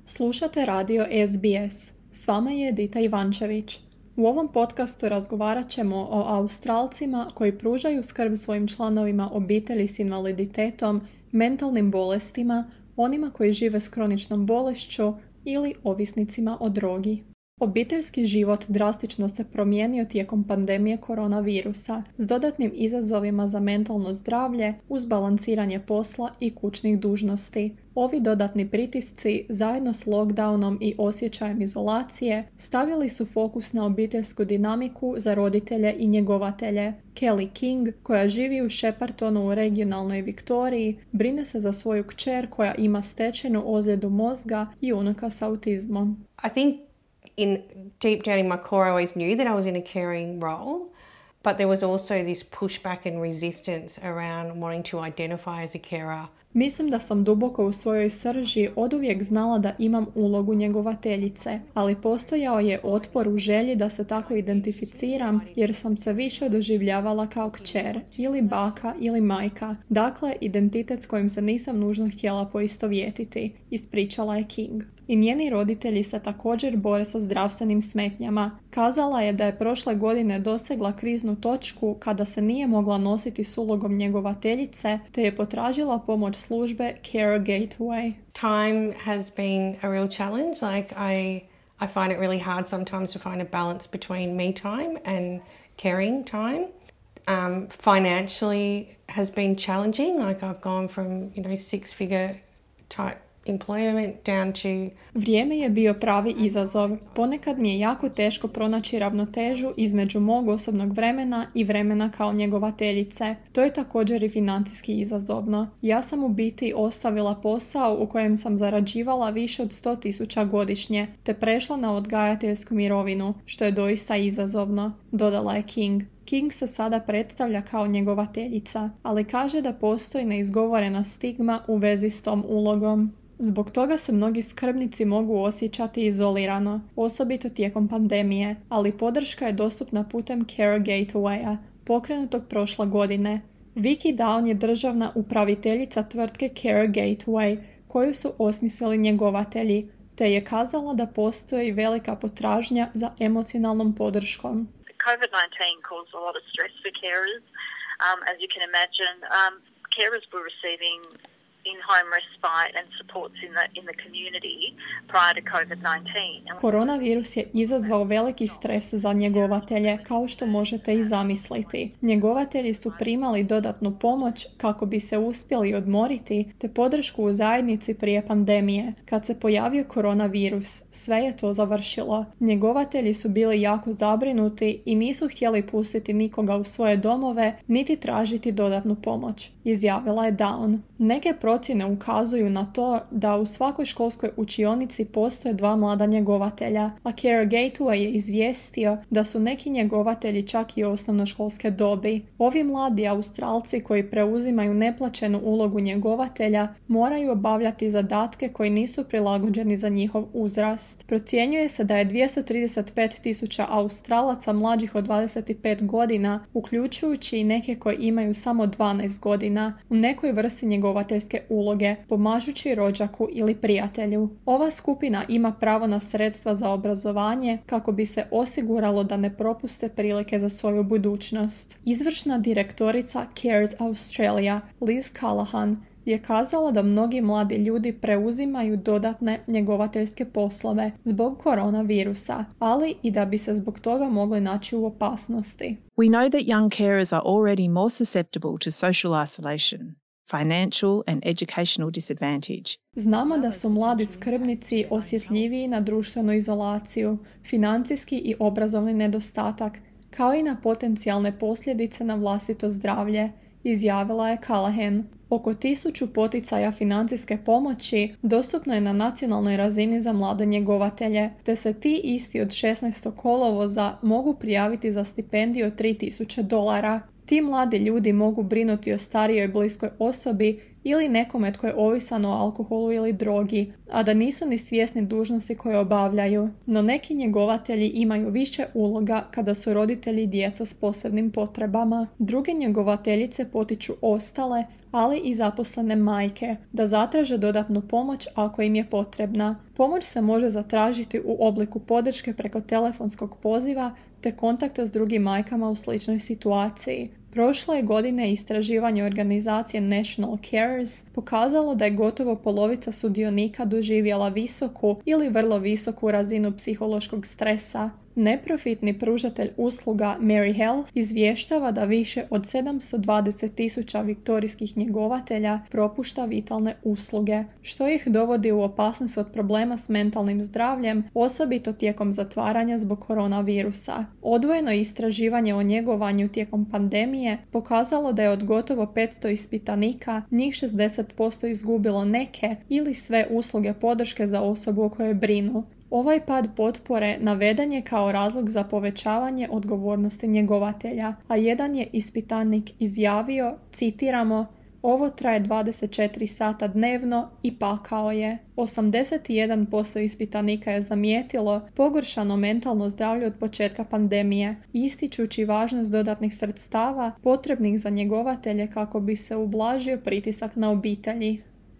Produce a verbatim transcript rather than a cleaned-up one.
Slušate radio S B S. S vama je Edita Ivančević. U ovom podcastu razgovarat ćemo o Australcima koji pružaju skrb svojim članovima obitelji s invaliditetom, mentalnim bolestima, onima koji žive s kroničnom bolešću ili ovisnicima o drogi. Obiteljski život drastično se promijenio tijekom pandemije koronavirusa, s dodatnim izazovima za mentalno zdravlje uz balansiranje posla i kućnih dužnosti. Ovi dodatni pritisci, zajedno s lockdownom i osjećajem izolacije, stavili su fokus na obiteljsku dinamiku za roditelje i njegovatelje. Kelly King, koja živi u Sheppartonu u regionalnoj Viktoriji, brine se za svoju kćer koja ima stečenu ozljedu mozga i unuka s autizmom. I think in deep down in my core I always knew that I was in a caring role, but there was also this pushback and resistance around wanting to identify as a carer. Mislim da sam duboko u svojoj srži oduvijek znala da imam ulogu njegovateljice, ali postojao je otpor u želji da se tako identificiram jer sam se više doživljavala kao kćer, ili baka ili majka, dakle identitet s kojim se nisam nužno htjela poistovjetiti, ispričala je King. I njeni roditelji se također bore sa zdravstvenim smetnjama. Kazala je da je prošle godine dosegla kriznu točku kada se nije mogla nositi s ulogom njegovateljice, te je potražila pomoć službe Care Gateway. Time has been a real challenge. Like I, I find it really hard sometimes to find a balance between me time and caring time. Um, financially has been challenging. Like I've gone from, you know, six-figure type employment down to... Vrijeme je bio pravi izazov. Ponekad mi je jako teško pronaći ravnotežu između mog osobnog vremena i vremena kao njegovateljice. To je također i financijski izazovno. Ja sam u biti ostavila posao u kojem sam zarađivala više od sto tisuća godišnje, te prešla na odgajateljsku mirovinu, što je doista izazovno, dodala je King. King se sada predstavlja kao njegovateljica, ali kaže da postoji neizgovorena stigma u vezi s tom ulogom. Zbog toga se mnogi skrbnici mogu osjećati izolirano, osobito tijekom pandemije, ali podrška je dostupna putem Care Gatewaya, pokrenutog prošle godine. Vicky Down je državna upraviteljica tvrtke Care Gateway, koju su osmislili njegovatelji, te je kazala da postoji velika potražnja za emocionalnom podrškom. covid nineteen caused a lot of stress for carers. Um, as you can imagine, um, carers were receiving in-home respite and supports in the, in the community prior to covid nineteen. Koronavirus je izazvao veliki stres za njegovatelje, kao što možete i zamisliti. Njegovatelji su primali dodatnu pomoć kako bi se uspjeli odmoriti, te podršku u zajednici prije pandemije. Kad se pojavio koronavirus, sve je to završilo. Njegovatelji su bili jako zabrinuti i nisu htjeli pustiti nikoga u svoje domove, niti tražiti dodatnu pomoć, izjavila je Down. Neke procjene ukazuju na to da u svakoj školskoj učionici postoje dva mlada njegovatelja, a Care Gateway je izvijestio da su neki njegovatelji čak i osnovnoškolske dobi. Ovi mladi Australci koji preuzimaju neplaćenu ulogu njegovatelja moraju obavljati zadatke koji nisu prilagođeni za njihov uzrast. Procjenjuje se da je dvjesto trideset pet tisuća Australaca mlađih od dvadeset pet godina, uključujući i neke koji imaju samo dvanaest godina, u nekoj vrsti njegovateljske uloge, pomažući rođaku ili prijatelju. Ova skupina ima pravo na sredstva za obrazovanje kako bi se osiguralo da ne propuste prilike za svoju budućnost. Izvršna direktorica Cares Australia, Liz Callahan, je kazala da mnogi mladi ljudi preuzimaju dodatne njegovateljske poslove zbog koronavirusa, ali i da bi se zbog toga mogli naći u opasnosti. We know that young carers are already more susceptible to social isolation, financial and educational disadvantage. Znamo da su mladi skrbnici osjetljiviji na društvenu izolaciju, financijski i obrazovni nedostatak, kao i na potencijalne posljedice na vlastito zdravlje, izjavila je Callahan. Oko tisuću poticaja financijske pomoći dostupno je na nacionalnoj razini za mlade njegovatelje, te se ti isti od šesnaestog kolovoza mogu prijaviti za stipendiju od tri tisuće dolara. Ti mladi ljudi mogu brinuti o starijoj bliskoj osobi ili nekome tko je ovisan o alkoholu ili drogi, a da nisu ni svjesni dužnosti koje obavljaju. No neki njegovatelji imaju više uloga kada su roditelji djeca s posebnim potrebama. Druge njegovateljice potiču ostale, ali i zaposlene majke, da zatraže dodatnu pomoć ako im je potrebna. Pomoć se može zatražiti u obliku podrške preko telefonskog poziva te kontakta s drugim majkama u sličnoj situaciji. Prošle je godine istraživanje organizacije National Carers pokazalo da je gotovo polovica sudionika doživjela visoku ili vrlo visoku razinu psihološkog stresa. Neprofitni pružatelj usluga Mary Health izvještava da više od sedamsto dvadeset tisuća viktorijskih njegovatelja propušta vitalne usluge, što ih dovodi u opasnost od problema s mentalnim zdravljem, osobito tijekom zatvaranja zbog koronavirusa. Odvojeno istraživanje o njegovanju tijekom pandemije pokazalo da je od gotovo petsto ispitanika njih šezdeset posto izgubilo neke ili sve usluge podrške za osobu o kojoj brinu. Ovaj pad potpore naveden je kao razlog za povećavanje odgovornosti njegovatelja, a jedan je ispitanik izjavio, citiramo, ovo traje dvadeset četiri sata dnevno i pakao je. osamdeset jedan posto ispitanika je zamijetilo pogoršano mentalno zdravlje od početka pandemije, ističući važnost dodatnih sredstava potrebnih za njegovatelje kako bi se ublažio pritisak na obitelji.